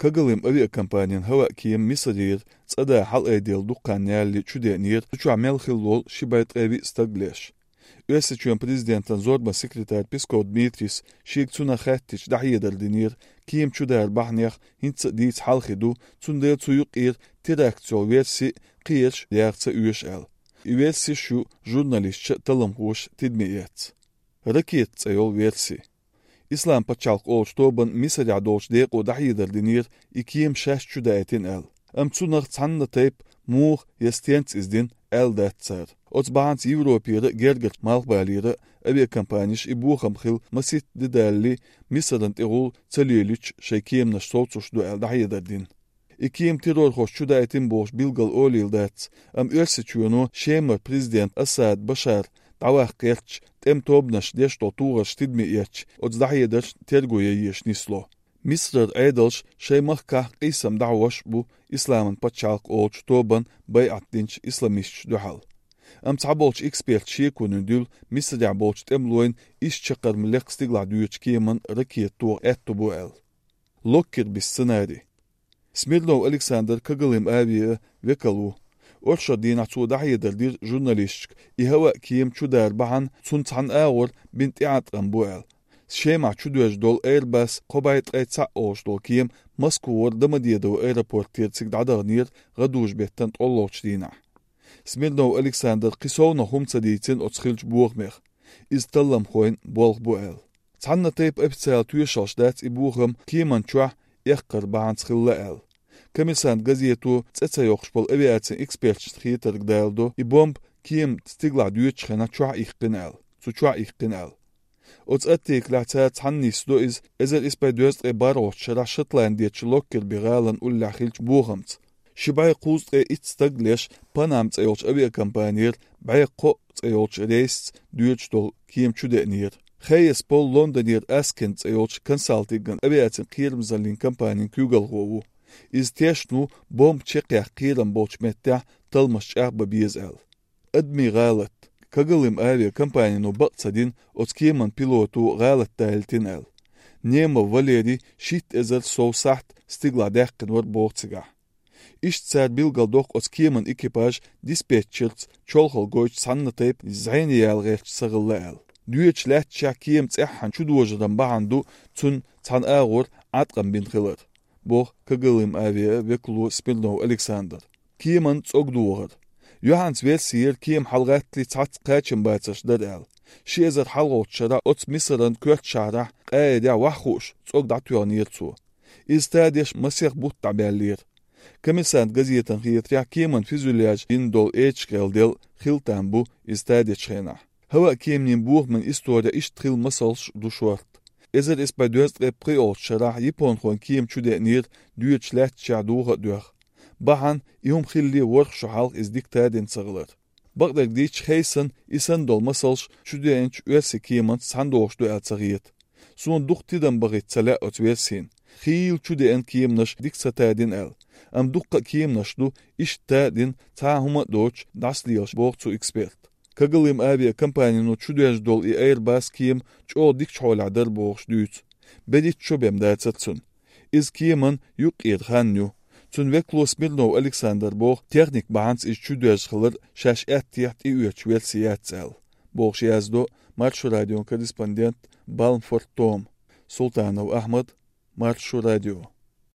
كغلم авиакомпаниян هوا كيم مصرير صدا حل ايديل دقان يالي چودينير چو عمل خلول شبايت قوي استقليش Ösüçün prezidentin zorba sekreter Peskov Dmitris şirkçuna xəttiç dahiyyedər dinir, kiyim çudər bahniyaq hintsə diyic halxidu, çundaya çuyuq reaksiyon versi qiyirç reaksiya üyeş el. Versi şu jurnalistçə tılım hoş tidmiyet. Raket yol versi. İslam paçalq olç toban misarya dolç deyq o dahiyyedər dinir, ikiyim şəş çudəyetin el. Çunaq çanna teyp muğ yestiyens izdin eldatser. Otsbahans Европейры гергерт малбалиры авиакомпанииш ибухам хил масит дедалли мисадан тигул целилич шейкемнаш соцушду элдахидадин. Иким террор хошчуда этим бош билгал олилдат. Ösüçünu шемер президент Асад Башар давах керч тем тобнаш дешто тугаш tidmiyech отздахидаш тергуя ешнисло. Мисрер айдалш шеймахках qisam davash bu İslamın paçalq olç toban bay'atdinç islamist duhal. تعبولش إكسبيرت شيكون ندول مصر عبولش تملوين إيش شقر ملق استقلع دويتش كيمن ركية طور اتبوال لوكر بالسناري سميرلو ألكسندر كغليم آبيه وكالو أرشا دين عطو دحية دردير جورناليشك إهواء كيم چو دار بحن سنتحن آور بنت إعاد غنبوال شيمع چو دوش دول إيرباس قبايت غيتسع أوش دول كيم مسكوور دمدية دو إيرابورتير تسيقدعدغنير غدوش بيتن تقولوش دينا سميرنو ألكسندر قصونا هم صديتين أتخلج بوغمير إز تلم خوين بولغ بوال تحنا تيب أبتسال تويشاش دات إبوغم كيمان چوح يخقر بعن تخلال كميسان غزيتو تتسيوخش بول أبياتين إكسبيرتش تخيتر قدالدو إبومب كيم تستقلع دويتش خينا چوح إخقنال چوح إخقنال أتأتيك لعتات تحنيسدو إز إزر إسباي دوست إباروش شرع شطلانديتش لوكر بغالن أولا خيلج بوغمت شباي قوز إتستقلش بانامت أيوش авиакомпаниер بايقو أيوش ريس دويتش دول كيم چودنير خيس بول لندنير أسكنت أيوش كونسالتيغن أبياتن قيرم زالين كمبانين كيوغل غوو إز تيشنو بوم تشيقيا قيرم بولش متع تلمش أعبا بيزال أدمي غالت كغلم авиакомпанينو بقصدين أتكيمن بيلوتو غالت تايلتين أل نيما فاليري شيت إزر سو سحت ستيغلا داقن ور بوغتسيغا İştsər bilgaldoq otkiyemin ekipaj dispetcherts çolxol goyç sanna teyp zayni yalğelç sağılla el. Düyeçlət çakiyem tsəhan çudojdan bahandu çun çan ağır atqan bin xılır. Boq kagılım aviya ve kulu Smirnov Alexander. Kiyemin tsogduğır. Johans versiyer kiyem halgatli tsats qaçın batsışdar el. Şezer halgotçara ots misran kört şara qayda waxuş tsogdatyon yirtsu. İstadiş masih but tabellir. Комиссант газетан хиетря кеман физуляж индол эчкел дел хилтамбу истадя чхена. Хава кемнин бугман история иштрил масалш душорт. Эзер испадёст реприол шарах япон хон кем чуденир дүйчлät чадуга дөх. Бахан иум хилли ворх шахал из диктаден сыгылыр. Багдак дич хейсан исан дол масалш чуденч өсе кеман сандошту алцагыет. Сон дуктидан багытсала отверсин. Хил чуден кемнаш диктатаден ал. دقة كيم نشدو إشتادين تاهما دوش داسليوش بوغتو إكسبيرت. كغليم آبيا كمبانينو چوديش دول إيرباس كيم چو ديك چول عدر بوغش دوت. بديت چو بمداتتسون. إز كيمن يوك إيرخانيو. تون وكلو سميرنو ألكسندر بوغ تيخنيك بانس إز چوديش خلر شاش تيحت إيوش ويلسيات سال. بوغش يازدو مارشو راديون كريسباندنت بالمفورد توم. سلطانو أحمد مارشو راديو.